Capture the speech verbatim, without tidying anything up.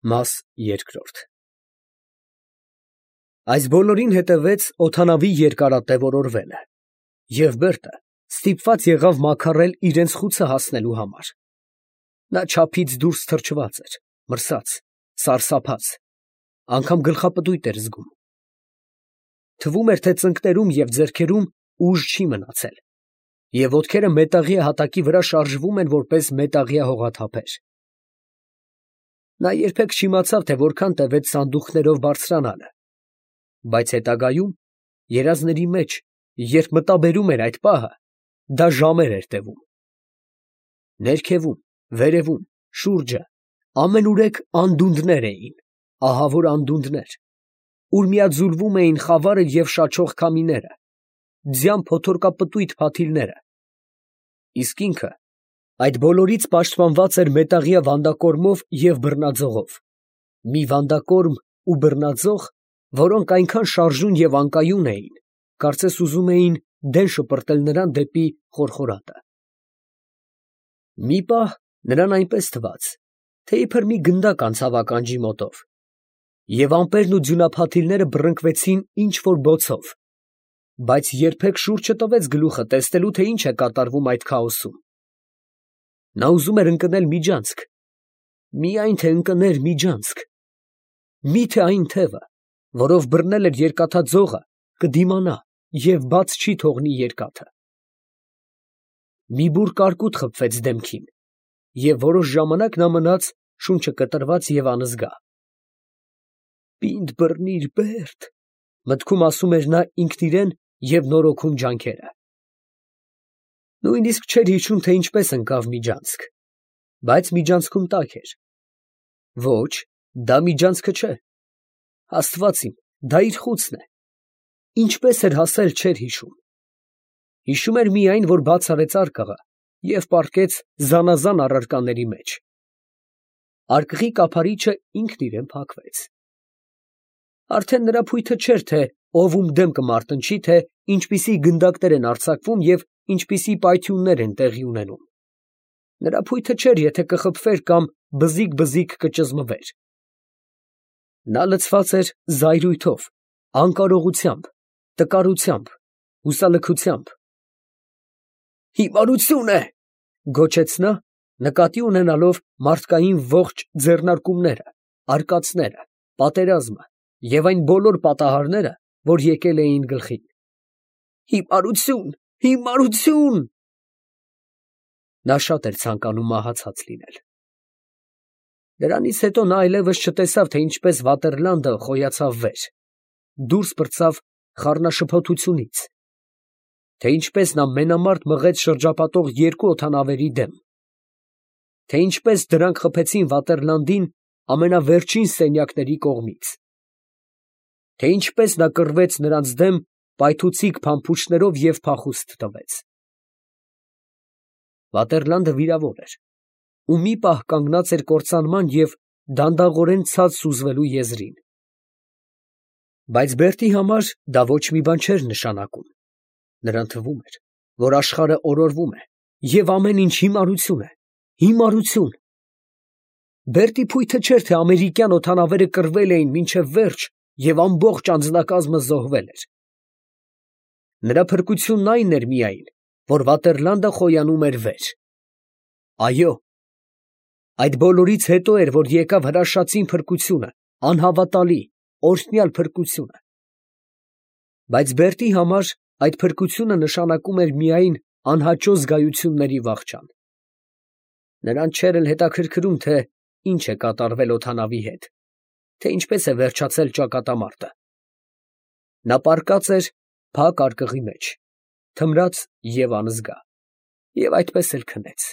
Մաս երկրորդ Այս բոլորին հետևեց օդանավի երկարատև օրորվելը, և Բերտը ստիպված եղավ մաքարել իրենց խուցը հասնելու համար. նա չափից դուրս թրջված էր, մրսած, սարսափած, անգամ գլխապտույտ էր զգում. թվում էր, թե ծնկներում և ձեռքերում ուժ չի մնացել, և ոտքերը մետաղյա հատակի վրա շարժվում են որպես մետաղյա հողաթափեր. նա երբեք չիմացավ, թե որքան տևեց սանդուղքներով բարձրանալը, բայց հետագայում, երազների մեջ, երբ մտաբերում էր այդ պահը, դա ժամեր էր տևում. ներքևում, վերևում, շուրջը ամենուրեք անդունդներ էին, ահավոր անդունդներ, ուր միաձուլվում էին խավարը և շաչող քամիները, ձյան փոթորկապտույտ փաթիլները, իսկ ինքը այդ բոլորից պաշտպանված էր մետաղյա վանդակորմով և բռնաձողով, մի վանդակորմ ու բռնաձող, որոնք այնքան շարժուն և անկայուն էին, կարծես ուզում էին դեն շպրտել նրան դեպի խորխորատը. մի պահ նրան այնպես թվաց, թե իբր մի գնդակ անցավ ականջի մոտով, և ամպերն ու ձյունափաթիլները բռնկվեցին ինչ֊որ բոցով, բայց երբեք շուռ չտվեց գլուխը տեսնելու, թե ինչ է կատարվում այդ քաոսում. նա ուզում էր ընկնել միջանցք, միայն թե ընկներ միջանցք, մի՞թե այն թևը, որով բռնել էր երկաթաձողը, կդիմանա և բաց չի թողնի երկաթը. մի բուռ կարկուտ խփվեց դեմքին, և որոշ ժամանակ նա մնաց շունչը կտրված և անզգա։ «Պինդ բռնիր, Բերտ», մտքում ասում էր նա ինքն իրան և նորոգում ջանքերը։ Նույնիսկ չէր հիշում, թե ինչպես ընկավ միջանցք, բայց միջանցքում տաք էր։ Ոչ, դա միջանցքը չէ, աստված իմ, դա իր խուցն է, ինչպես էր հասել, չէր հիշում, հիշում էր միայն, որ բաց արեց արկղը և պառկեց զանազան առարկաների մեջ. արկղի կափարիչը ինքն իրան փակվեց։ Արդեն նրա փույթը չէր, թե ով ում դեմ կմարտնչի, թե ինչպիսի գնդակներ են արձակվում և ինչպիսի պայթյուններ են տեղի ունենում, նրա փույթը չէր, եթե կխփվեր կամ բզիկ֊բզիկ կճզմվեր. նա լցված էր զայրույթով, անկարողությամբ, տկարությամբ, հուսալքությամբ։ «Հիմարություն է», գոչեց նա, նկատի ունենալով մարդկային ողջ ձեռնարկումները, արկածները, պատերազմը և այն բոլոր պատահարները, որ եկել էին գլխին։ «Հիմարություն, հիմարություն»։ Նա շատ էր ցանկանում մահացած լինել։ Դրանից հետո նա այլևս չտեսավ, թե ինչպես Վատերլանդը խոյացավ վեր, դուրս պրծավ խառնաշփոթությունից, թե ինչպես նա մենամարտ մղեց շրջապատող երկու օդանավերի դեմ, թե ինչպես դրանք խփեցին Վատերլանդին ամենավերջին սենյակների կողմից, թե ինչպես նա կռվեց նրանց դեմ պայթուցիկ փամփուշտներով և փախուստ տվեց։ Վատերլանդը վիրավոր էր ու մի պահ կանգնած էր կործանման և դանդաղորեն ցած սուզվելու եզրին։ Բայց Բերտի համար դա ոչ մի բան չէր նշանակում. նրան թվում էր, որ աշխարհը օրորվում է և ամեն ինչ հիմարություն է, հիմարություն։ Բերտի փույթը չէր, թե ամերիկյան օդանավերը կռվել էին մինչև վերջ և ամբողջ անձնակազմը զոհվել էր։ Նրա փրկությունն այն էր միայն, որ Վատերլանդը խոյանում էր վեր։ Այո, այդ բոլորից հետո էր, որ եկավ հրաշածին փրկությունը, անհավատալի, օրհնյալ փրկությունը։ Բայց Բերտի համար այդ փրկությունը նշանակում էր միայն անհաճո զգայությունների վախճան։ Նրան չէր էլ հետաքրքրում, թե ինչ է կատարվել օդանավի հետ, թե ինչպես է վերջացել ճակատամարտը։ Նա պառկած էր փակ արկղի մեջ, թմրած և անզգա, և այդպես էլ քնեց։